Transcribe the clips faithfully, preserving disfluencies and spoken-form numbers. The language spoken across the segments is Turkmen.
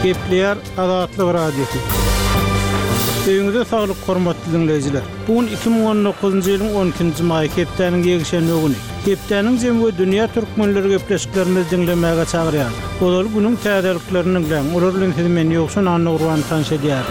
Gepleýär Azatlyk Radiosy. Öýüňize saglyk hormatly dinleýjiler. Bu gün iki müň on dokuzynjy ýylyň on ikinji maýy hepdäniň ýekşenbe güni. Hepdäniň jemi we dünýä türkmenleri gepleşiklerimizi diňlemäge çagyrýar. Ozal günüň täzeliklerini diňläň. Olar bilen sizi men Ýowşan Annagurban tanyş edýär.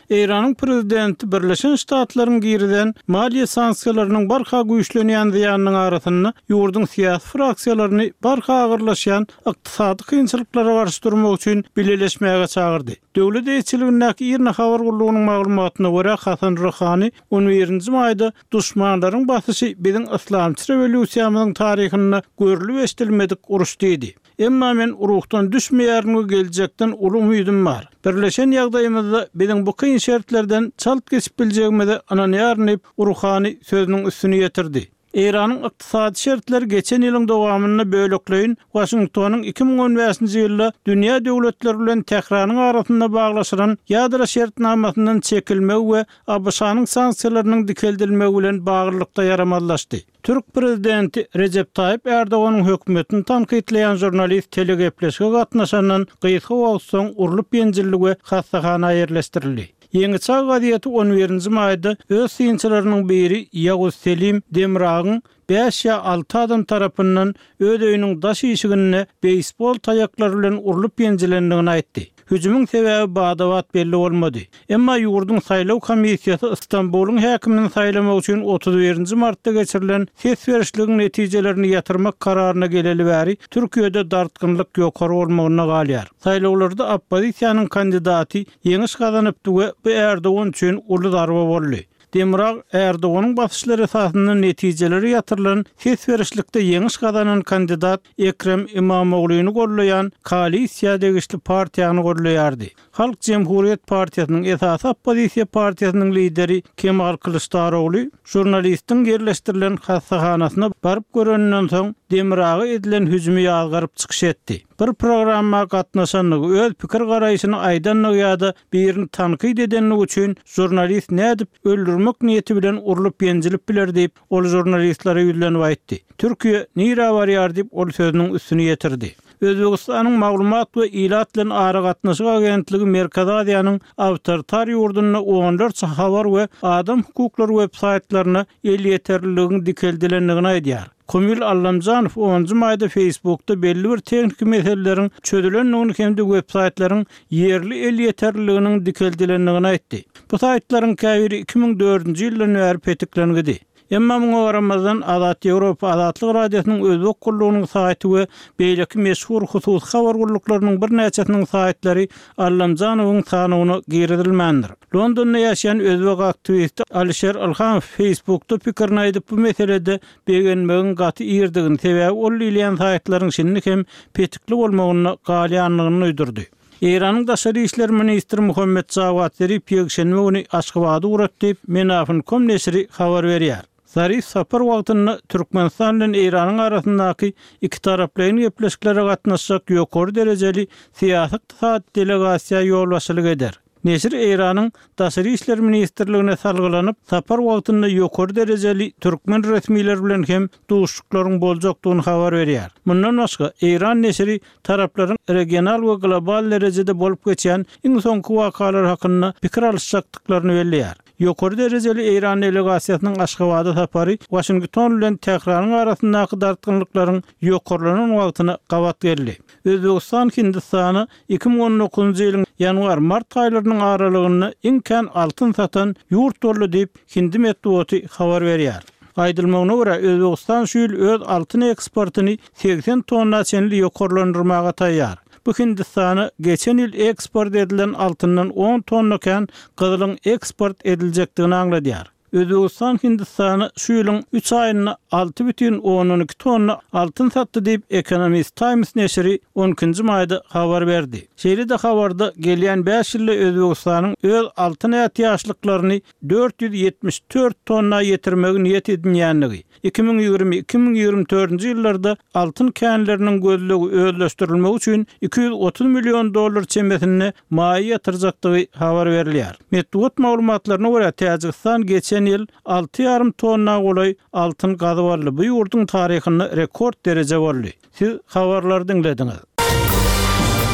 Eýranyň prezidenti Birleşen Ştatlaryň girizen maliýe sanksiýalarynyň barha güýçlenýän zyýanynyň arasynda ýurduň syýasy fraksiýalaryny barha agyrlaşýan ykdysady kynçylyklara garşy durmak üçin bileleşmäge çagyrdy. Döwlet eýeçiligindäki IRNA habar gullugynyň maglumatyna görä Hasan Ruhani on birinji maýda duşmanlaryň basyşy biziň yslamçy rewolýusiýamyzyň taryhynda görülip eşidilmedik uruş diýdi. Emma men ruhdan düşmeýärin we geljekden uly umydym bar. Birleşen ýagdaýymyzda biziň bu kyn şertlerden çalt geçip biljegimize ynanýaryn diýip Ruhani sözüniň üstüni ýetirdi. Eýranyň ykdysady şertleri geçen ýylyň dowamynda bölekleýin Waşingtonyň iki müň on bäşinji ýylda dünýä döwletleri bilen Tähranyň arasynda baglaşylan ýadro şertnamasyndan çekilmegi we ABŞ-nyň sanksiýalarynyň dikeldilmegi bilen baglylykda ýaramazlaşdy. Türk prezidenti Recep Tayyip Erdoganyň hökümetini tankytlaýan žurnalist telegepleşige gatnaşandan gysga wagt soň urlup ýenjildi we hassahana ýerleşdirildi. Ýeňi Çağ gazeti on birinji maýda öz synçylarynyň biri Ýaguz Selim Demragyň bäş ýa alty adam tarapyndan öz öýüniň daş işiginde beýsbol taýaklary bilen urlup ýenjilendigini aýtdy. Hüjümiň sebäbi badabat belli bolmady. Emma ýurduň saýlaw komissiýasy Istanbulyň häkimini saýlamak üçin otuz birinji martda geçirilen ses berişligiň netijelerini ýatyrmak kararyna geleli bäri Türkiýede dartgynlyk ýokary bolmagyna galýar. Saýlawlarda oppozisiýanyň kandidaty ýeňiş gazanypdy we bu Erdogan üçin uly zarba boldy. Demirag Erdoganyň basyşlary esasynda netijeleri ýatyrylan ses berişlikde ýeňiş gazanan kandidat Ekrem Imamogluny gollaýan koalisiýa degişli partiýany gollaýardy. Halk Cumhuriyet Partiýasynyň esasy oppozisiýa partiýasynyň lideri Kemal Kılıçdaroğlu žurnalistiň ýerleşdirilen hassahanasyna baryp göreninden soň Demiraga edilen hüjümi ýazgaryp çykyş etdi. Bir programma gatnaşanlygy, öz pikir garaýşyny aýdanlygy ýa-da birini tankyt edenligi üçin žurnalist nädip öldürmek niýeti bilen urlup ýenjilip biler diýip, ol žurnalistlere ýüzlenip aýtdy. Türkiýe nirä barýar diýip, ol sözüniň üstüni ýetirdi. Özbekistanyň maglumat we ilat bilen aragatnaşyk agentligi Merkezi Aziýanyň awtoritar ýurdunda onlarça habar we adam hukuklary web saýtlaryna elýeterliligiň dikeldilendigini aýdýar. Komil Allamjanow onunjy maýda Facebookda belli bir tehniki meseleleriň çözülendigini hem-de web saýtlaryň ýerli elýeterliliginiň dikeldilendigini aýtdy. Bu saýtlaryň käbiri iki müň dördünji ýyldan bäri petiklengidi. Emma muňa garamazdan Azat Ýewropa Azatlyk Radiosynyň Özbek gullugynyň saýty we beýleki meşhur hususy habar gulluklarynyň birnäçesiniň saýtlary Allamjanowyň sanawyna girizilmändir. Londonda ýaşaýan özbek aktiwisti Alişer Ilhamow Facebookda pikirini aýdyp bu meselede begenmegiň gaty irdigini, sebäbi ol diýilýän saýtlaryň şindi hem petikli bolmagyna galýanlygyny duýdurdy. Eýranyň daşary işler ministri Muhammed Jawad Zarif ýekşenbe güni Aşgabady ugratdy, Menafin.com neşiri habar berýär. Zarif sapar wagtynda Türkmenistan bilen Eýranyň arasyndaky iki taraplaýyn gepleşiklere gatnaşjak ýokary derejeli syýasy ykdysady delegasiýa ýolbaşçylyk eder. Neşir Eýranyň Daşary işler ministrligine salgylanyp, sapar wagtynda ýokary derejeli türkmen resmileri bilen hem duşuşyklaryň boljakdygyny habar berýär. Mundan başga Eýran neşiri taraplaryň regional we global derejede bolup geçen iň soňky wakalar hakynda pikir alyşjakdyklaryny belleýär. Ýokary derejeli Eýran delegasiýasynyň Aşgabada sapary Waşington bilen Tähranyň arasyndaky dartgynlyklaryň ýokarlanan wagtyna gabat geldi. Özbegistan Hindistana iki müň on dokuzynjy ýylyň ýanwar-mart aýlarynyň aralygynda iň kän altyn satan ýurt boldy diýip Hindi metbugaty habar berýär. Aýdylmagyna görä Özbegistan şu ýyl öz altyn eksportyny segsen tonna çenli ýokarlandyrmaga taýýar. Bu Hindistana geçen ýyl eksport edilen altyndan on tonna kän gyzylyň eksport ediljekdigini aňladýar. Özbegistan Hindistana şu ýylyň üç aýynda alty bütin ondan iki tonna altyn satdy diýip Economist Times neşiri on ikinji maýda habar berdi. Şeýle-de habarda gelýän bäş ýylda Özbegistanyň öz altyn ätiýaçlyklaryny dört ýüz ýetmiş dört tonna ýetirmegi niýet edinýändigi, iki müň ýigrimi iki müň ýigrimi dördünji ýyllarda altyn känleriniň gözlegi özleşdirilmegi üçin iki ýüz otuz million dollar çemesinde maýa ýatyrjakdygy habar berilýär. Metbugat maglumatlaryna görä Täjigistan geçen ýyl alty ýarym tonna golaý altyn gazyp aldy. Bu ýurduň taryhynda rekord dereje boldy. Siz habarlary diňlediňiz.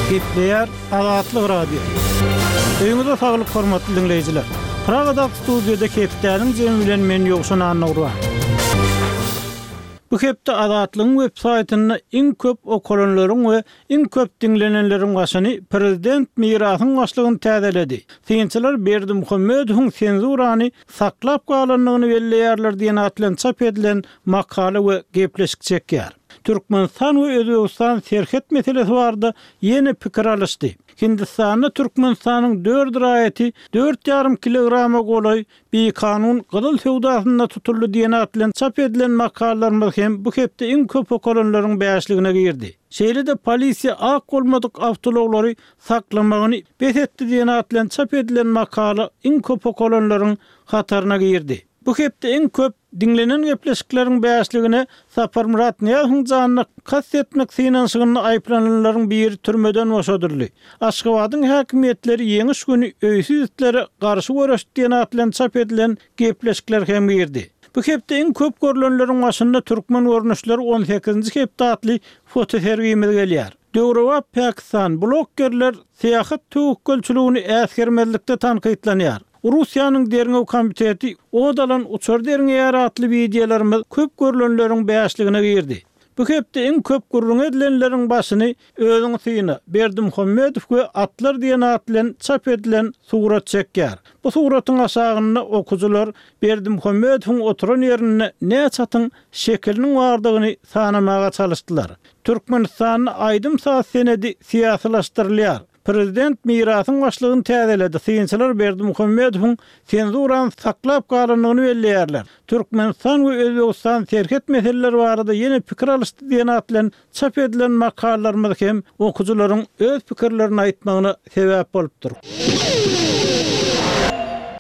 Gepleýär Azatlyk Radiosy. Öýüňize saglyk hormatly diňleýjiler. Pragadaky studiýada hepdäniň jemi bilen men Ýowşan Annagurban. Bu hepde Azatlygyň web saýtynda iň köp okalanlaryň we iň köp diňlenenleriň başyny prezident Mirasyň başlygyny täzeledi. Synçylar Berdimuhamedowyň senzurany saklap galandygyny belleýärler diýen at bilen çap edilen makala we gepleşik çekýär. Türkmenistan we Özbegistan serhet meselesi barada ýene pikir alyşdy. Hindistanda Türkmenistanyň dört raýaty dört ýarym kilograma golaý bikanun gyzyl söwdasynda tutuldy diýen at bilen çap edilen makalalarymyz hem bu hepde iň köp okalanlaryň bäşligine girdi. Şeýle-de polisiýa ak bolmadyk awtoulaglary saklamagyny bes etdi diýen at bilen çap edilen makala iň köp okalanlaryň hataryna girdi. Bu hepde iň köp diňlenen gepleşikleriň bäşligine Saparmyrat Nyýazowyň janyna kast etmek synanyşygynda aýyplananlaryň biri türmeden boşadyldy. Aşgabadyň häkimiýetleri ýeňiş güni öýsüz itlere garşy göreşdi diýen at bilen çap edilen gepleşikler hem girdi. Bu hepde iň köp görlenleriň başynda türkmen görnüşleri on sekizinji hepde atly fotosergimiz gelýär. Döwrebap Pakistan bloggerler syýahat töwekgelçiligini äsgermezlikde tankytlanýar. Russiýanyň derňew komiteti od alan uçar derňeýär atly wideolarymyz köp görlenleriň bäşligine girdi. Bu hepde iň köp gürrüň edilenleriň başyny özüň syna Berdimuhamedow we atlar diýen at bilen çap edilen surat çekýär. Bu suratyň aşagynda okujylar Berdimuhamedowyň oturan ýerinde näçe atyň şekiliniň bardygyny sanamaga çalyşdylar. Türkmenistanda aýdym saz senedi syýasylaşdyrylýar. Prezident Mirasyň başlygyny täzeledi. Synçylar Berdimuhamedowyň senzurany saklap galandygyny belleýärler. Türkmenistan we Özbegistan serhet meseleleri barada ýene pikir alyşdy diýen at bilen çap edilen makalalarymyz hem okujylaryň öz pikirlerini aýtmagyna sebäp bolupdyr.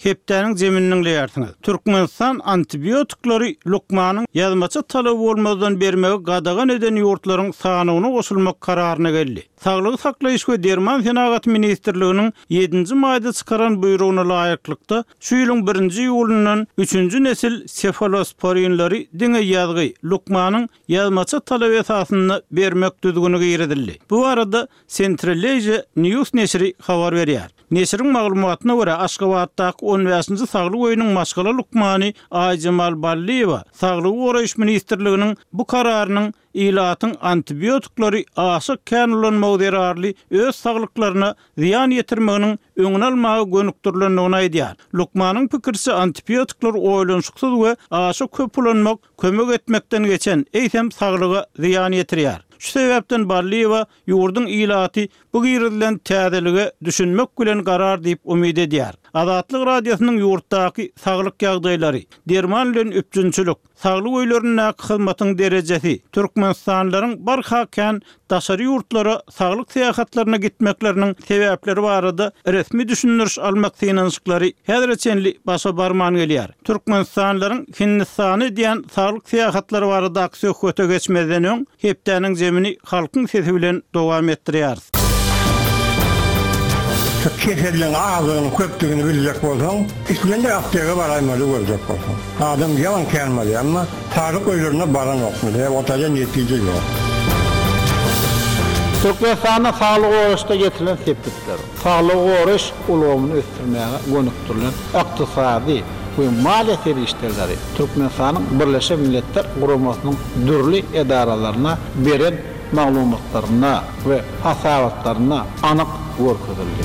Hepdäniň zemini diňleýärsiňiz. Türkmenistan antibiotikleri lukmanyň ýazmaça talaby bolmazdan bermegi gadagan eden ýurtlaryň sanyna goşulmak kararyna geldi. Saglygy saklaýyş we derman senagaty ministrliginiň ýedinji maýda çykaran buýrugyna laýyklykda şu ýylyň birinji iýulyndan üçünji nesil sefalosporinleri diňe ýazgy lukmanyň ýazmaça talaby esasynda bermek düzgüni girizildi. Bu arada Central Asia News neşiri habar berýär. Neşiriň maglumatyna görä Aşgabatdaky on bäşinji saglyk öýüniň maşgala lukmany Aýjemal Ballyýewa Saglygy goraýyş ministrliginiň bu kararynyň ilatyň antibiotikleri aşa kän ulanmagy zerarly öz saglyklaryna zyýan ýetirmeginiň öňüni almaga gönükdirilendigini aýdýar. Lukmanyň pikirçe antibiotikler oýlanyşyksyz we aşa köp ulanmak kömek etmekden geçen eýsem saglyga zyýan ýetirýär. Şu sebäpden Ballyýewa ýurduň ilaty bu girizilen täzelige düşünmek bilen garar diýip umyt edýär. Azatlyk Radiosynyň ýurtdaky saglyk ýagdaýlary, derman bilen üpjünçilik, saglyk öýlerindäki hyzmatyň derejesi, Türkmenistanlylaryň barha kän daşary ýurtlara saglyk syýahatlaryna gitmekleriniň sebäpleri barada resmi düşündiriş almak synanyşyklary häzire çenli başa barman gelýär. Türkmenistanlylaryň Hindistana edýän saglyk syýahatlary baradaky söhbete geçmezden öň hepdäniň zemini halkyň sesi bilen dowam etdirýäris. Keselliň ağzını köpdügini biljek bolsaň, islendik apteka baraýmaly görjek bolsaň. Adam ýalan känmeli ama saglyk öýlerine baranokmy? Otaja netije ýok. Türkmenistanda saglyk goraýyşda getirilen sepgitler, saglyk goraýyş ulgamyny ösdürmäge gönükdirilen ykdysady we maliýe serişdeleri Türkmenistanyň Birleşen Milletler Guramasynyň dürli edaralaryna beren maglumatlarynda we hasabatlarynda anyk görkezildi.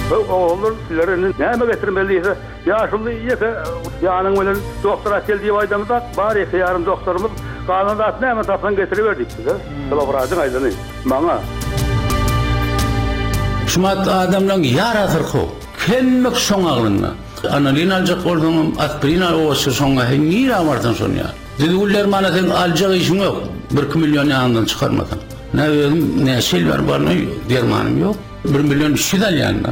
Bu oğullar sizlere näme getirmeliyse, ýaşuly ýeke ýanyň bilen doktora gel diýip aýdamyzda, bar ýeke ýarym doktorymyz galan zat näme tapsan getiriberdik bize. Şolar aýdany maňa. Şumat adamlaryň ýara syrkaw. Hemmek şoň aglynda. Analin aljak bolsaňam, aspirin al olsa şoňa nirä barsan şony ýa. Düzgünler mana sen aljak işiň ýok. Bir iki milyon ýanyndan çykarmasaň. Ne özüm, ne şel bar barny dermanym ýok. Bir milyon üç ýüz alýan-da.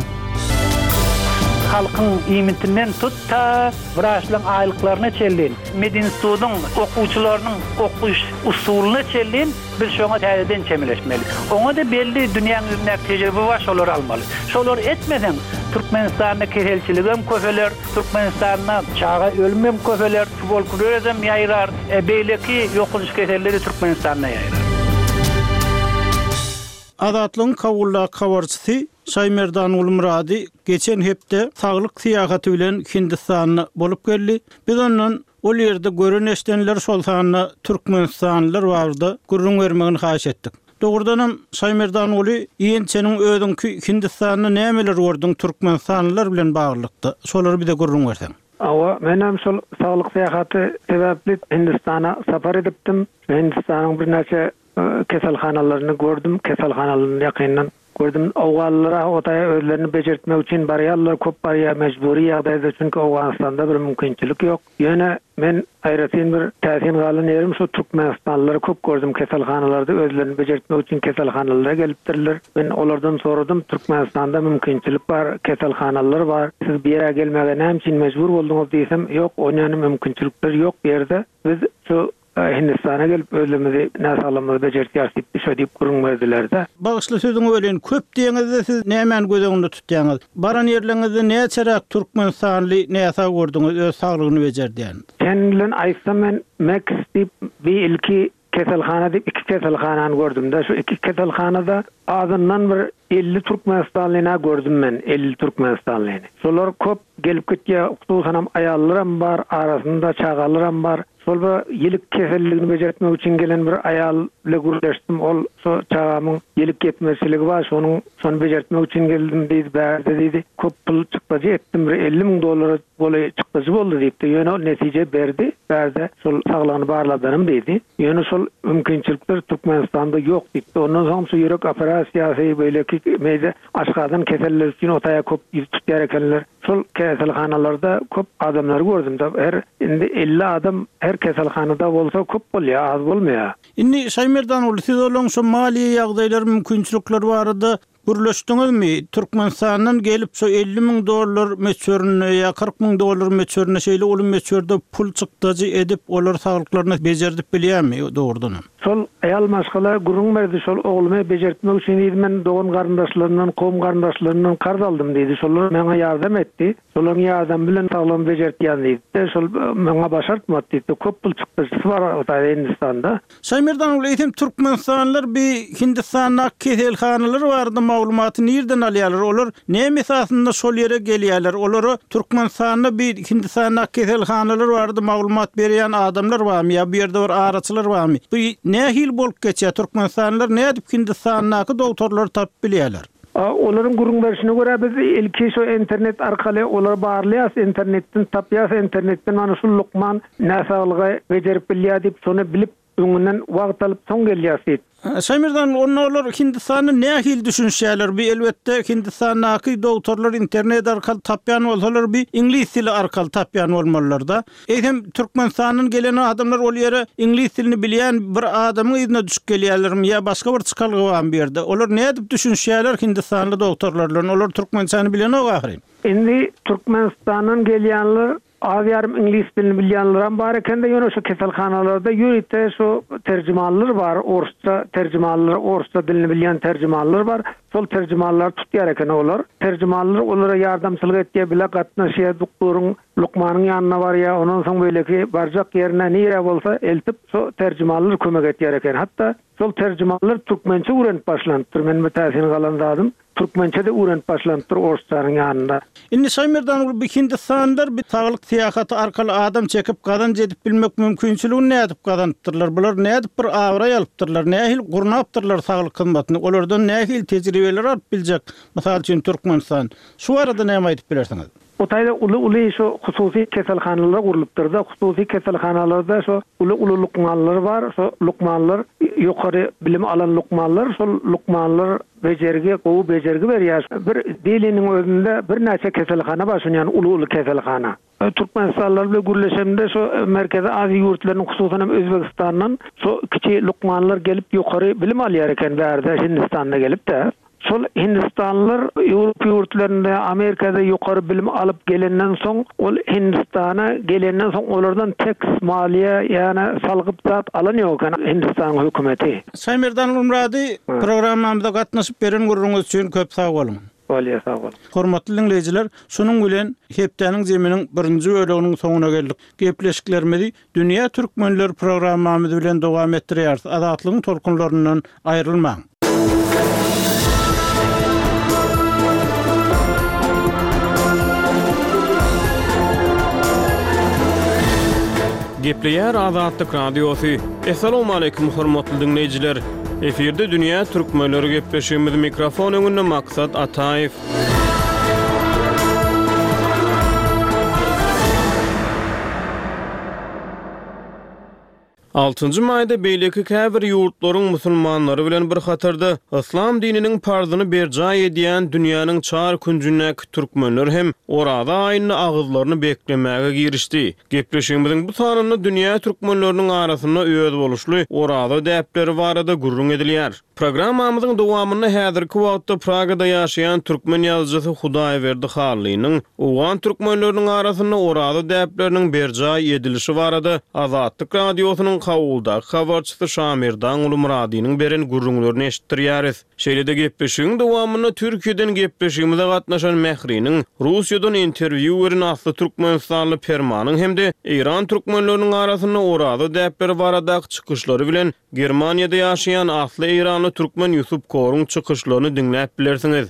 Halkyň iýmitinden tut ta wraçlaryň aýlyklaryna çenli, medinstitutyň okuwçylarynyň okuş usulyna çenli biz şoňa täzeden çemeleşmeli. Oňa da belli dünýäň ýüzündäki tejribe bar, şolary almaly. Şolary etmeseň Türkmenistanda keselçiligem köpeler, Türkmenistanda çaga ölümem köpeler, tuberkulezem ýaýrar, e, beýleki ýokanç keselleri Türkmenistanda ýaýrar. Azatlygyň Kabuldaky habarçysy Şaýmerdan Gulmyrady geçen hepde saglyk syýahaty bilen Hindistanda bolup geldi. Biz ondan ol ýerde gören eşdenler şol sanda Türkmenistanlylar barada gürrüň bermegini haýyş etdik. Dogrudanam Şaýmerdan Guly ýençeniň özüňki Hindistanda nämeler gördüň Türkmenistanlylar bilen baglylykda? Şolary bize gürrüň berseň. Awa, menem şol saglyk syýahaty sebäpli Hindistana sapar edipdim. Hindistanyň birnäçe keselhanalaryny gördüm, keselhanalaryny ýakyndan gördüm. Owganlylara otaýa özlerini bejertmek üçin barýarlar, köp barýar mejburi ýagdaýda, çünki Owganystanda bir mümkinçilik ýok. Ýöne men aýratyn bir täsin galan ýerim şu Türkmenistanlylary köp gördüm keselhanalarda özlerini bejertmek üçin keselhanalara gelipdirler. Men olardan soradym, Türkmenistanda mümkinçilik bar, keselhanalar bar. Siz bir ýere gelmäge näme üçin mejbur bolduňyz diýsem, ýok, onýany mümkinçilikler ýok bu ýerde. Biz şu Hindistana gelip özlerimizi näsaglamyzy bejertýäris diýip, şo diýip gürrüň berdiler-de. Bagyşly sözüňi welin köp diýeňizde siz nämäni göz öňünde tutýaňyz? Baran ýerleriňizde näçeräk Türkmenistanly näsag gördüňiz öz saglygyny bejerdýän? Sen bilen aýtsam men Max diýip bir ilki keselhana diýip iki keselhanany gördüm-de. Şu iki keselhanada azyndan bir elli Türkmenistanlyna gördüm men, elli Türkmenistanlyny. Şolar köp gelip gitýär, hususanam aýallaram bar, arasynda çagalaram bar. Şol bir ýilik keselligini bejertmek üçin gelen bir aýal bile gürleşdim. Ol şo çagamyň ýilik ýetmezçiligi bar, şonuň şony bejertmek üçin geldim diýdi, bärde diýdi. Köp pul çykdajy etdim, bir elli müň dollara golaý çykdajy boldy diýipdi. Ýöne ol netije berdi, bärde şol saglygyny barladanym diýdi. Ýöne şol mümkinçilikler Türkmenistanda ýok diýipdi. Ondan soň şu ýürek operasiýasy, beýleki meýde aşgadan keseller üçin otaýa köp ýüz tutýar ekenler. Şol keselhanalarda köp adamlary gördüm da, her indi elli adam her keselhanada bolsa köp bolýar, az bolmaýar. Indi Şaýmerdan ol siz olaň şu maliýe ýagdaýlary mümkinçilikler barada gürleşdiňizmi? Türkmenistandan gelip şu elli müň dollar möçberinde ýa kyrk müň dollar möçberinde şeýle uly möçberde pul çykdajy edip olar saglyklaryny bejerdip bilýärmi dogrudanam? Şol aýal maşgala gürrüň berdi, şol oglumy bejertmek üçin diýdi, men dogan garyndaşlaryndan, kowum garyndaşlaryndan karz aldym diýdi. Şolar maňa ýardam etdi. Şolaryň ýardamy bilen saglygymy bejertýän diýdi. Şol maňa başartmady diýdi. Köp pul çykdajysy bar o Hindistanda. Şaýmerdan ol eýsem Türkmenistanlylar bir Hindistanda keselhanalar barada maglumaty nirden alýarlar? Olar näme esasynda şol ýere gelýärler? Olara Türkmenistanda bir Hindistanda keselhanalar barada maglumat berýän adamlar barmy ýa bu ýerde bir araçylar barmy? Bu nähili bolup geçýär? Türkmenistanlylar nädip Hindistandaky doktorlary tapyp bilýärler? Olaryň gürrüň berişine görä biz ilki şu internet arkaly olar barlaýas, internetden tapýas, internetden mana şu lukman näsaglygy bejerip bilýär diýip, şony bilip öňünden wagt alyp soň gelýäs diýip. Şaýmerdan, onda olar Hindistanda nähili düşünişýärler? Bir elbetde Hindistandaky doktorlar internet arkaly tapýan bolsalar, bir iňlis dili arkaly tapýan bolmalylar-da. Eýsem Türkmenistandan gelen adamlar ol ýere iňlis dilini bilýän bir adamyň yzyna düşüp gelýärlermi ýa başga bir çykalga barmy bu ýerde? Olar nädip düşünişýärler Hindistanly doktorlar bilen? Olar türkmençäni bilenok ahyryn. Indi Türkmenistandan gelýänler az ýarym iňlis dilini bilýänler bar ekende, ýöne şu keselhanalarda ýörite şu terjimanlar bar, orsça terjimanlar, orsça dilini bilýän terjimanlar bar. Şol terjimanlar tutýar eken olar. Terjimanlar olara ýardamçylyk etýär, bile gatnaşýar, doktoryň, lukmanyň ýanyna barýar, ondan soň beýleki barjak ýerine nire bolsa eltip şu terjimanlar kömek etýär eken. Hatda şol terjimanlar türkmençe öwrenip başlanypdyr. Men bu täsin galan zadym türkmençe de öwrenip başlanypdyr orsçanyň ýanynda. Indi Şaýmerdan bir Hindistanlar bir saglyk syýahaty arkaly adam çekip gazanç edip bilmek mümkinçiligini nädip gazanypdyrlar? Bular nädip bir abraý alypdyrlar? Nähili gurnapdyrlar saglyk hyzmatyny? Olardan nähili tejribeler alyp biljek? Mysal üçin Türkmenistan. Şu arada näme aýdyp bilersiňiz? O taýda uly-uly şu hususy keselhanalar gurlupdyr da, hususy keselhanalarda şu uly-uly lukmanlar bar, şu lukmanlar ýokary bilim alan lukmanlar, şol lukmanlar bejergi, gowy bejergi berýär. Bir Deliniň özünde birnäçe keselhana bar, şunýan uly-uly keselhana. Türkmenistanlylar bilen gürleşemde şu Merkezi Aziýa ýurtlarynyň hususan hem Özbekistandan şu kiçi lukmanlar gelip ýokary bilim alýar eken bärde Hindistanda gelip de. Şol Hindistanlylar Ýewropa ýurtlarynda, Amerikada ýokary bilim alyp gelenden soň, ol Hindistana gelenden soň olardan teks maliýe, ýagny salgyt zat alan ýok eken Hindistanyň hökümeti. Şaýmerdan Gulmyrady, programmamyza gatnaşyp beren gürrüňiz üçin köp sag boluň. Bolýar, sag boluň. Hormatly dinleýjiler, şunuň bilen hepdäniň zeminiň birinji böleginiň soňuna geldik. Gepleşiklerimizi Dünýä Türkmenler programmamyz bilen dowam etdirýäris. Azatlygyň tolkunlaryndan aýrylmaň. Gepleýär Azatlyk Radiosy. Essalawmaleýkim hormatly diňleýjiler. Efirde dünýä türkmenleri gepleşigimiz mikrofon öňünde Maksat Ataýew. Altynjy maýda beýleki käbir ýurtlaryň musulmanlary bilen bir hatarda yslam dininiň parzyny berjaý edýän dünýäniň çar künjündäki türkmenler hem Oraza aýynda agyzlaryny beklemäge girişdi. Gepleşigimiziň bu sanynda dünýä türkmenleriniň arasynda özboluşly Oraza däpleri barada gürrüň edilýär. Programmamyzyň dowamynda häzirki wagtda Pragada ýaşaýan türkmen ýazyjysy Hudaýberdi Hallynyň owgan türkmenleriniň arasynda Oraza däpleriniň berjaý edilişi barada Azatlyk Radiosynyň Kabuldaky habarçysy Şamirdan Ulumyradynyň beren gürrüňlerini eşitdirýäris. Şeýle-de gepleşigiň dowamynda Türkiýeden gepleşigimize gatnaşan Mähriniň, Russiýadan interwýu beren asly türkmenistanly Permanyň hem-de Eýran türkmenleriniň arasynda Oraza däpleri baradaky çykyşlary bilen Germaniýada ýaşaýan asly eýranly türkmen Ýusup Koruň çykyşlaryny diňläp bilersiňiz.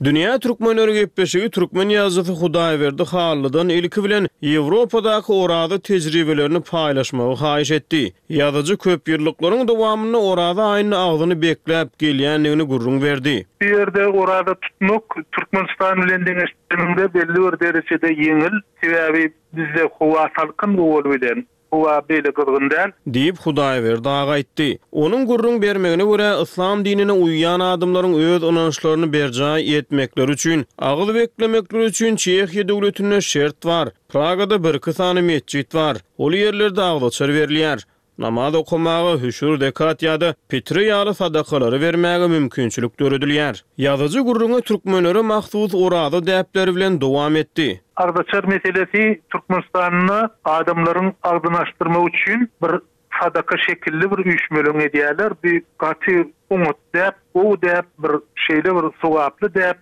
Dünýä türkmenleri gepleşigi türkmen ýazyjysy Hudaýberdi Hallydan ilki bilen Ýewropadaky Oraza tejribelerini paýlaşmagy haýyş etdi. Ýazyjy köp ýyllyklaryň dowamynda Oraza aýynda agzyny bekläp gelýändigini gürrüň berdi. Bu ýerde Oraza tutmak Türkmenistan bilen deňeşdireniňde belli bir derejede ýeňil, sebäbi bizde howa salkyn bol bilen howa beýle gyzgyn däl. Diýip, Hudaýberdi aga aýtdy. Onuň gürrüň bermegine görä, yslam dinine uýýan adamlaryň öz ynançlaryny berjaý etmekleri üçin, agyz beklemekleri üçin Çehiýa döwletinde şert bar. Pragada bir-iki sany metjit bar. Ol ýerlerde agzaçar berilýär. Namaz okamaga, hüşür, zekat ýa-da pitre ýaly sadakalary bermäge mümkinçilik döredilýär. Ýazyjy gürrüňi türkmenlere mahsus Oraza däpleri bilen dowam etdi. Agzaçar meselesi Türkmenistanda adamlaryň agzyny açdyrmak üçin bir sadaka şekilli bir üýşmeleň edýärler. Bir gaty oňat däp, gowy däp, bir şeýle bir sogaply däp.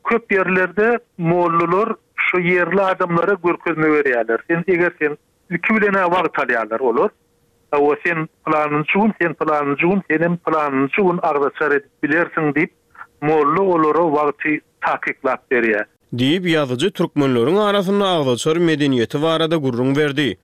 Köp ýerlerde mollalar şu ýerli adamlara görkezme berýärler. Sen eger sen ilki bilen wagt alýarlar olar. O sen planynjy gün, sen planynjy gün, senem planynjy gün agzaçar edip bilersiň diýip, molla olara wagty takyklap berýär. Diýip, ýazyjy türkmenleriň arasynda agzaçar medeniýeti barada gürrüň berdi.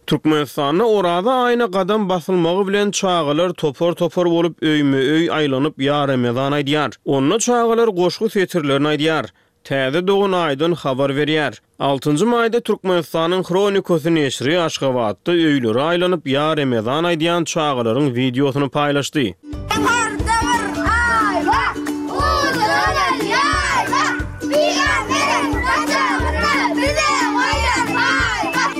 Türkmenistanda Oraza aýyna gadam basylmagy bilen çagalar topar-topar bolup öýme-öý aýlanyp ýa Ramazan aýdýar. Onda çagalar goşgy setirlerini aýdýar. Täze dogan aýdan habar berýär. Altynjy maýda Türkmenistanyň Hronikasy neşiri Aşgabatda öýlere aýlanyp ýa Ramazan aýdýan çagalaryň wideosyny paýlaşdy. Ýokarda bir aý bar, uzanan ýaý bar, Pygamberiň gajagyna bize goýan paý bar.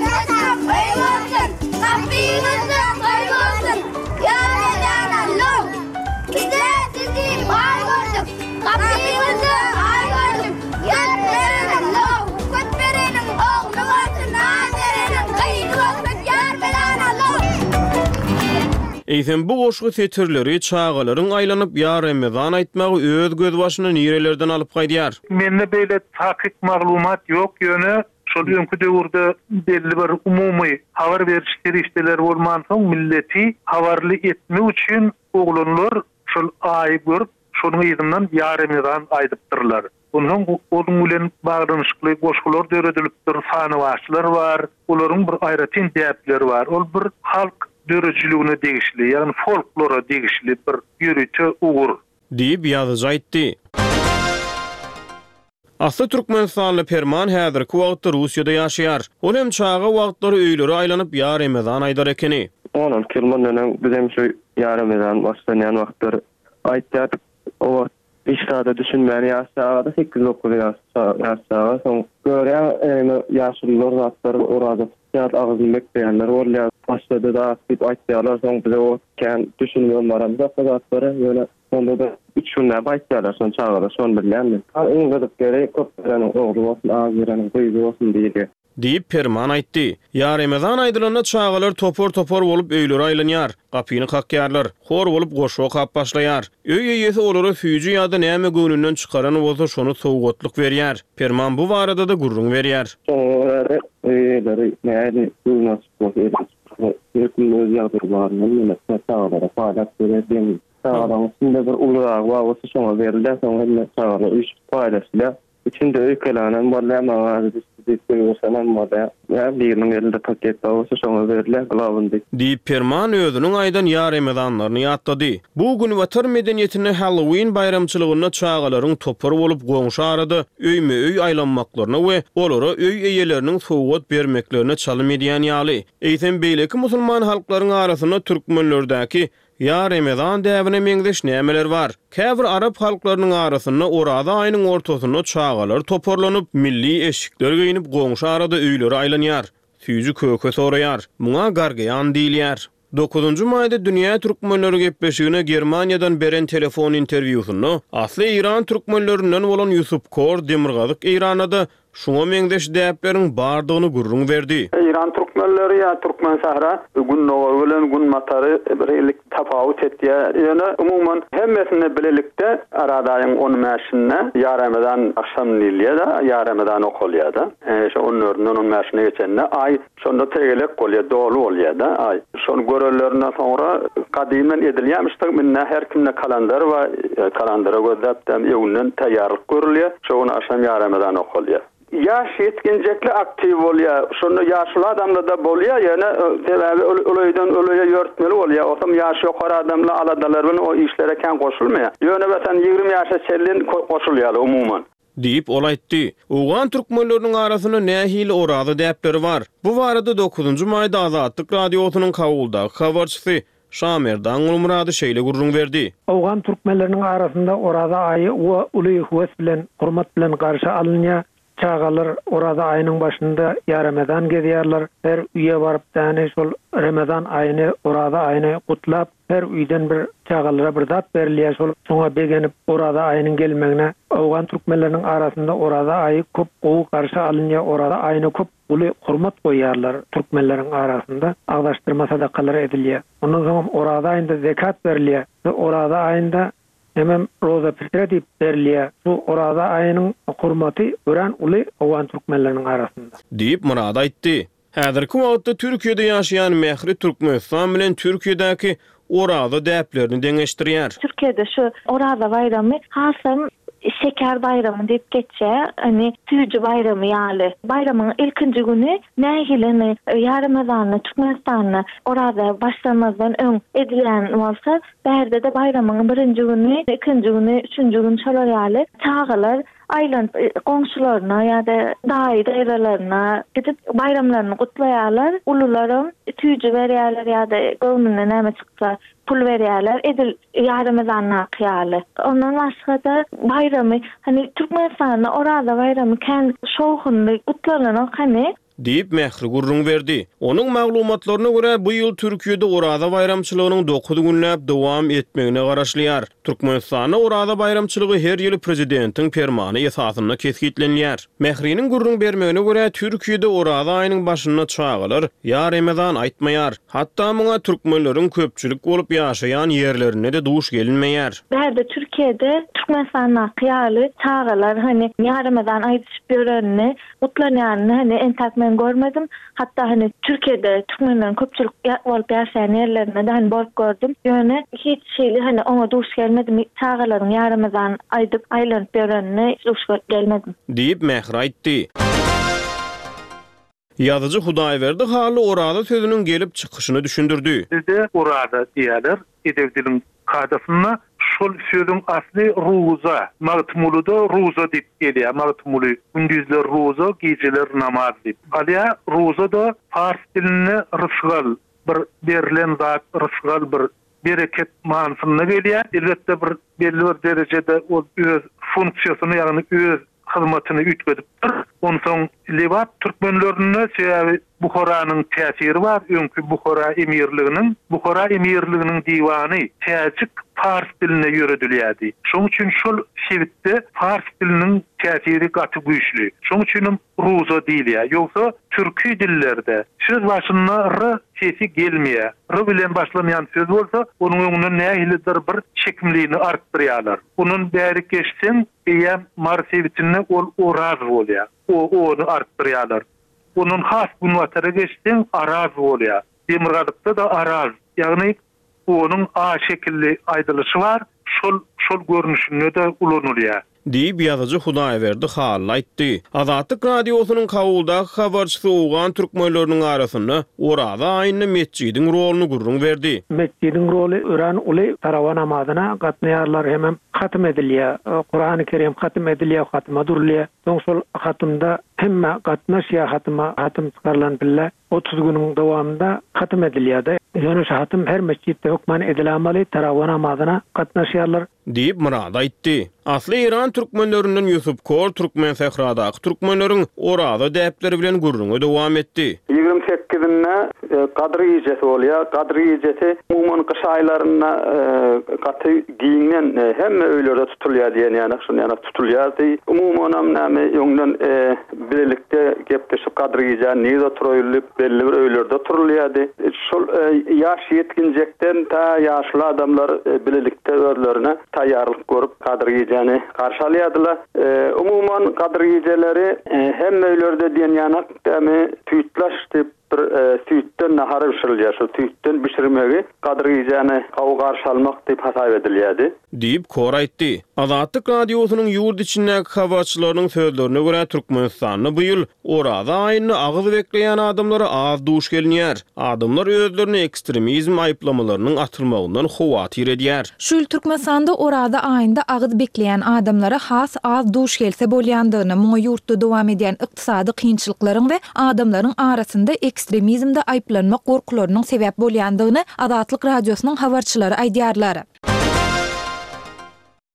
Saçak öý bolsun, gapyňyzda toý bolsun, Ýa Ramazan Allow, bize sizi baý gördük, gapyňyzda aý gördük, Ýa Ramazan Allow, köp bereniň ogly bolsun, az bereniň gyzy bolsun, Ýa Ramazan Allow. Eýsem bu goşgy setirleri çagalaryň aýlanyp ýa Ramazan aýtmagy öz gözbaşyny nirelerden alyp gaýdýar? Mende beýle takyk maglumat ýok, ýöne şol öňki döwürde belli bir umumy habar beriş serişdeleri bolmansoň milleti habarly etmek üçin oglanlar şol aýy görüp, şonuň yzyndan ýa Ramazan aýdypdyrlar. Ondan onuň bilen baglanyşykly goşgular döredilipdir, sanawaçlar bar, olaryň bir aýratyn däpleri bar. Ol bir halk döredijiligine degişli, ýagny folklora degişli bir ýörite ugur. Diýip, ýazyjy aýtdy. Asly türkmenistanly Perman häzirki wagtda Russiýada ýaşaýar. Ol hem çaga wagtlary öýlere aýlanyp ýa Ramazan aýdar ekeni. On alty ýyl mundan öň biz hem şu ýa Ramazan başlanýan wagtlar aýtýardyk. O wagt hiç zada düşünmän ýaş çagada sekiz dokuz ýaş ýaş çaga soň görýän ýa ýaşulular zatlar oraza tutýar, agzyny bekleýänler bolýar. Başlady da diýip aýtýarlar, soň bize o kän düşünmän baramyzok o zatlara. Ýöne onda da üç günläp aýtýarlar, şony çagalar şony bilýän men. Iň gyzyk ýeri köp bereniň ogly bolsun, az bereniň gyzy bolsun diýilýär. Diýip, Perman aýtdy. Ýa Ramazan aýdylanda çagalar topar-topar bolup öýlere aýlanýar, gapyny kakýarlar, hor bolup goşgy okap başlaýar. Öý eýesi olara süýji ýa-da näme göwnünden çykaran bolsa şony sowgatlyk berýär. Perman bu barada-da gürrüň berýär. Şoňa görä-de öý eýeleri nähili göwni açyk bolsa elini açyk. Her kimiň öz ýagdaýy baryndan ýöne çagalara paýlap berýär deň. Çagalaryň içinde bir uluragy bar bolsa şoňa berilýär, soň hemme çagalar üýşüp paýlaşylýar. Içinde öýkelänem bolýar, maňa azy düşdi diýip gygyryşanam bolýar. Ýa biriniň elinde paket bar bolsa şoňa berilýär, glawnyý. Diýip, Perman özüniň aýdan ýa remezanlaryny ýatlady. Bu günbatar medeniýetinde Halloween baýramçylygynda çagalaryň topar bolup goňşy arada öýme-öý aýlanmaklaryna we olara öý eýeleriniň sowgat bermeklerine çalym edýän ýaly. Eýsem, beýleki musulman halklaryň arasynda türkmenlerdäki ýa remezan däbine meňzeş nämeler bar? Käbir arap halklarynyň arasynda Oraza aýynyň ortasynda çagalar toparlanyp, milli eşikler geýnip goňşy arada öýlere aýlanýar, süýji-köke soraýar. Muňa gargeýan diýilýär. Dokuzynjy maýda Dünýä türkmenleri gepleşigine Germaniýadan beren telefon interwýusynda asly eýran türkmenlerinden bolan Ýusup Kor Demirgazyk Eýranda-da şuňa meňzeş däpleriň bardygyny gürrüň berdi. Eýran türkmenleri ýa Türkmensähra gündogar bilen günbatary bir hili tapawut etýär. Ýöne umuman hemmesinde bilelikde Oraza aýyň on bäşinde ýa Ramazan agşam diýilýär-de, ýa Ramazan okalýar-da. Şo on dördünden on bäşine geçende aý şonda tegelek bolýar, doly bolýar-da aý. Şony görellerinden soňra gadymdan edilýärmiş-de, indi her kimde kalendar bar, kalendara gözläp-de öňünden taýýarlyk görülýär. Şo gün agşam ýa Ramazan okalýar. Ýaş ýetginjekli aktiw bolýar. Şonda ýaşuly adamlar-da bolýar, ýöne sebäbi ol öýden ol öýe ýörtmeli bolýar. Otam ýaş ýokary adamlar aladalar bilen o işlere kän goşulmaýar. Ýöne meselem ýigrimi ýaşa çenli goşulýar umuman. Diýip, ol aýtdy. Owgan türkmenleriniň arasynda nähili oraza däpleri bar? Bu barada dokuzynjy maýda Azatlyk Radiosynyň Kabuldaky habarçysy Şamerdan Gulmyrady şeýle gürrüň berdi. Owgan türkmenleriniň arasynda oraza aýy uly höwes bilen, hormat bilen garşy alynýar. Çagalar oraza aýynyň başynda ýa Ramazan gezýärler. Her öýe baryp däni şol Ramazan aýyny, oraza aýyny gutlap, her öýden bir çagalara bir zat berilýär. Şol şoňa begenip oraza aýynyň gelmegine Owgan türkmenleriniň arasynda oraza aýy köp gowy garşy alynýar. Oraza aýyna köp uly hormat goýýarlar türkmenleriň arasynda. Agzaşdyrma sadakalary edilýär. Ondan soň oraza aýynda zekat berilýär. Oraza aýynda hemem roza pitre diýip berilýär. Bu oraza aýynyň hormaty örän uly Owgan türkmenleriniň arasynda. Diýip Murad aýtdy. Häzirki wagtda Türkiýede ýaşaýan Mähri Türkmenistan bilen Türkiýedäki oraza däplerini deňeşdirýär. Türkiýede şu oraza baýramy hasam şeker baýramy diýip geçýär, hani tüýji baýramy ýaly. Baýramyň ilkinji güni nähilini ýa Ramazanda Türkmenistanda oraza başlamazdan öň edilýän bolsa, bärde-de baýramyň birinji güni, ikinji güni, üçünji gün şolar ýaly çagalar aýlanyp goňşularyna ýa-da daýy daýzalaryna gidip baýramlaryny gutlaýarlar. Ulularam tüýji berýärler ýa-da göwnüne näme çyksa pul berýärler. Edil ýa Ramazandaky ýaly. Ondan başga-da baýramy, hani Türkmenistanda oraza baýramy kän şowhunly gutlananok hani. Diýip Mähri gürrüň berdi. Onuň maglumatlaryna görä bu ýyl Türkiýede oraza baýramçylygynyň dokuz günläp dowam etmegine garaşylýar. Türkmenistanda oraza baýramçylygy her ýyl prezidentiň permany esasynda kesgitlenýär. Mähriniň gürrüň bermegine görä Türkiýede oraza aýynyň başynda çagalar ýa Ramazan aýtmaýar. Hatda muňa türkmenleriň köpçülik bolup ýaşaýan ýerlerinde de duş gelinmeýär. Bärde Türkiýede Türkmenistandaky ýaly çagalar hani ýa Ramazan aýdyşyp ýörenini, gutlanýanyny hani entäk men görmedim. Hatda hani Türkiýede türkmenleriň köpçülik bolup ýaşaýan ýerlerinde de hani bolup gördüm. Ýöne hiç şeýle hani oňa duş gelmedim. Çagalaryň ýa Ramazan aýdyp aýlanyp ýörenini duş gelmedim. Diýip Mähri aýtdy. Ýazyjy Hudaýberdi Hally oraza sözüniň gelip çykyşyny düşündirdi. Bizde oraza diýerler, edebi diliň kadasynda şol sözüň asly ruza, Magtymgulyda ruza diýip gelýär. Magtymguly gündüzler ruza, geceler namaz diýip. Alýa ruza da pars dilinde rysgal, bir berlen zat, rysgal bir bereket manysynda gelýär. Elbetde bir belli bir derejede ol öz funksiýasyny, ýagny öz hyzmatyny üýtgedipdir. Onsoň Lebap türkmenlerinde sebäbi Buharanyň täsiri bar, öňki Buhara emirliginiň, Buhara emirliginiň diwany täjik pars dilinde ýöredilýärdi. Şonuň üçin şol sebitde pars diliniň täsiri gaty güýçli. Şonuň üçin hem ruza diýilýär. Ýogsa türki dillerde söz başynda r sesi gelmeýär. R bilen başlanýan söz bolsa, onuň öňünden nähilidir bir çekimliğini artdyrýarlar. Onun bäri geçseň, eýem Mary sebitinde ol oraz bolýar. O onu artdyrýarlar. Onun has günbatara geçseň araz bolýar. Demirgazykda-da Araz, ýagny onuň A şekilli aýdylyşy bar, şol şol görnüşinde-de ulanylýar. Diýip, ýazyjy Hudaýberdi Hally aýtdy. Azatlyk Radiosynyň Kabuldaky habarçysy owgan türkmenleriniň arasynda Oraza aýynda metjidiň roluny gürrüň berdi. Metjidiň roly örän uly, tarawa namazyna gatnaýarlar hemem hatym edilýär. Kurany Kerim hatym edilýär, hatyma durulýar. Soň şol hatymda hemme gatnaşýar hatyma, hatym çykarylan pille otuz günüň dowamynda hatym edilýär-de. Ýöne şu hatym her metjitde hökman edilämaly, tarawa namazyna gatnaşýarlar. Diýip, Myrat aýtdy. Asly eýran türkmenlerinden Ýusup Kor Türkmensähradaky türkmenleriň Oraza däpleri bilen gürrüňe dowam etdi. Ýigrimi sekizinde Gadyr gijesi bolýar. Gadyr gijesi umuman gyş aýlarynda gaty giňden hemme öýlerde tutulýar diýen ýaly, şuny ýaly tutulýardy. Umumanam näme öňden bilelikde gepleşip Gadyr gijäni nirde oturaýyl diýip belli bir öýlerde oturylýardy. Şol ýaş ýetginjekden ta ýaşuly adamlar bilelikde özlerine taýýarlyk görüp Gadyr gijäni garşy alýardylar. Umuman Gadyr gijeleri hemme öýlerde diýen ýaly dämi süýtlaş diýip bir süýtden nahar bişirilýär. Şol süýtden bişirmegi Gadyr gijäni gowy garşy almak diýip hasap edilýärdi. Diýip, Kor aýtdy. Azatlyk Radiosynyň ýurt içindäki habarçylarynyň sözlerine görä, Türkmenistanda bu ýyl Oraza aýynda agyz bekleýän adamlara az duş gelinýär. Adamlar özlerini ekstremizm aýyplamalarynyň atylmagyndan howatyr edýär. Şu ýyl Türkmenistanda Oraza aýynda agyz bekleýän adamlara has az duş gelse bolýandygyny, muňa ýurtda dowam edýän ykdysady kynçylyklaryň we adamlaryň arasynda ekstremizmde aýyplanmak gorkularynyň sebäp bolýandygyny Azatlyk Radiosynyň habarçylary aýdýarlar.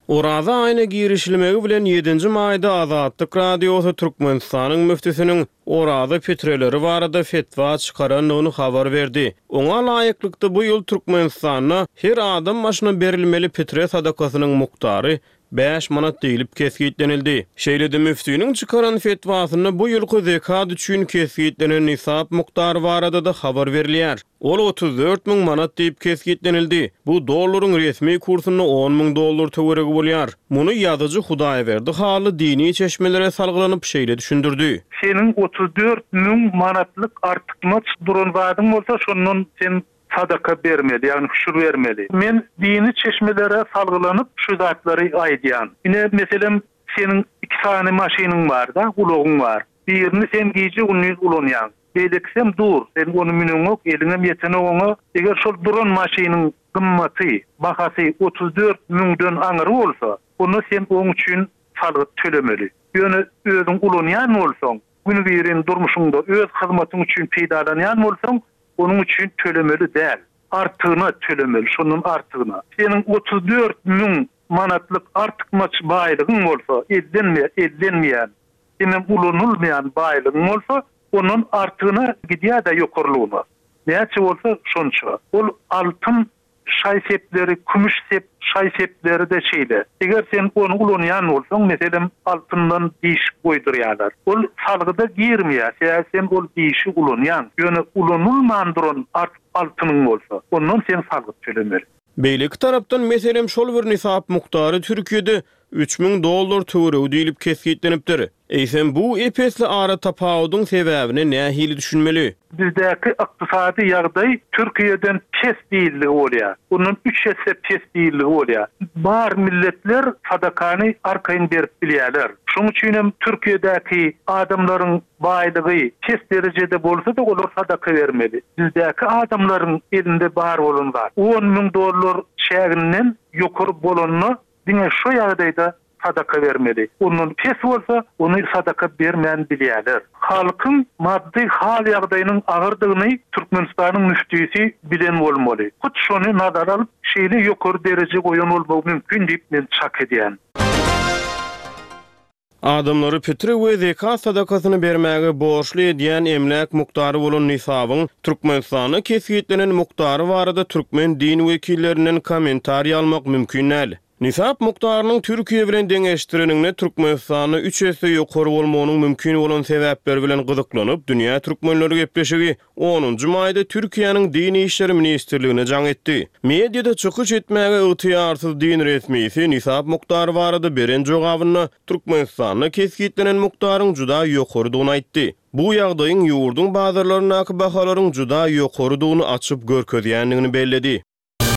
Oraza aýyna girişilmegi bilen ýedinji maýda Azatlyk Radiosy Türkmenistanyň müftüsiniň Oraza pitreleri barada fetwa çykarandygyny habar berdi. Oňa laýyklykda bu ýyl Türkmenistanda her adam başyna berilmeli pitre sadakasynyň mukdary bäş manat diýlip kesgitlenildi. Şeýle-de müftiniň çykaran fetwasynda bu ýylky zekat üçin kesgitlenen nisap mukdary barada-da habar berilýär. Ol otuz dört müň manat diýip kesgitlenildi. Bu dollaryň resmi kursunda on müň dollar töweregi bolýar. Muny ýazyjy Hudaýberdi Hally dini çeşmelere salgylanyp şeýle düşündirdi. Seniň otuz dört müň manatlyk artykmaç duran zadyň bolsa, şondan sen sadaka bermeli, ýagny hüşür bermeli. Men dini çeşmelere salgylanyp şu zatlary aýdýan. Ine, meselem, seniň iki sany maşynyň bar-da, ulagyň bar. Birini sen gije-gündiz ulanýaň. Beýlekisem dur, sen ony müneňok, eliňem ýetenok oňa. Eger şol duran maşynyň gymmaty, bahasy otuz dört müňden aňyry bolsa, onda sen oň üçin salgyt tölemeli. Ýöne özüň ulanýan bolsaň, günübirin durmuşyňda öz hyzmatyň üçin peýdalanýan bolsaň, onuň üçin tölemeli däl. Artygyna tölemeli, şondan artygyna. Seniň otuz dört müň manatlyk artykmaç baýlygyň bolsa, ellenme, ellenmeýän, hemem ulanylmaýan baýlygyň bolsa, ondan artygyna gidýär-de ýokarlygyna. Näçe bolsa şonça. Ol altyn şaý-sepleri, kümüş sep, şaý-sepleri-de şeýle. Eger sen ony ulanýan bolsaň, meselem, altyndan diş goýdurýarlar. Ol salgyda girmeýär, sebäbi sen ol dişi ulanýaň. Ýöne ulanylman duran artyk altynyň bolsa, ondan sen salgyt tölemeli. Beýleki tarapdan, meselem, şol bir nisap mukdary Türkiýede üç müň dollar töweregi diýlip kesgitlenipdir. Eýsem, bu ep-esli ara tapawudyň sebäbine nähili düşünmeli? Bizdäki ykdysady ýagdaý Türkiýeden pes diýildigi bolýar. Ondan üç esse pes diýildigi bolýar. Bar milletler sadakany arkaýyn berip bilýärler. Şonuň üçin hem Türkiýedäki adamlaryň baýlygy pes derejede bolsa-da olar sadaka bermeli. Bizdäki adamlaryň elinde bar bolan zat on müň dollar çäginden ýokary bolanda diňe şu ýagdaýda sadaka bermeli. Ondan pes bolsa ony sadaka bermän bilýärler. Halkyň maddy hal ýagdaýynyň agyrdygyny Türkmenistanyň müftüsi bilen bolmaly. Hut şony nazara alyp şeýle ýokary dereje goýan bolmagy mümkin diýip men çak edýän. Adamlary pitre we zekat sadakasyny bermäge borçly edýän emläk mukdary bolan nisabyň Türkmenistanda kesgitlenen mukdary barada türkmen din wekillerinden kommentariý almak mümkin däl. Nisap mukdarynyň Türkiýe bilen deňeşdireniňde Türkmenistanda üç esse ýokary bolmagynyň mümkin bolan sebäpleri bilen gyzyklanyp, Dünýä türkmenleri gepleşigi onunjy maýda Türkiýäniň Din işleri ministrligine jaň etdi. Mediada çykyş etmäge ygtyýarsyz din resmisi nisap mukdary barada beren jogabynda Türkmenistanda kesgitlenen mukdaryň juda ýokarydygyny aýtdy. Bu ýagdaýyň ýurduň bazarlaryndaky bahalaryň juda ýokarydygyny açyp görkezýändigini belledi.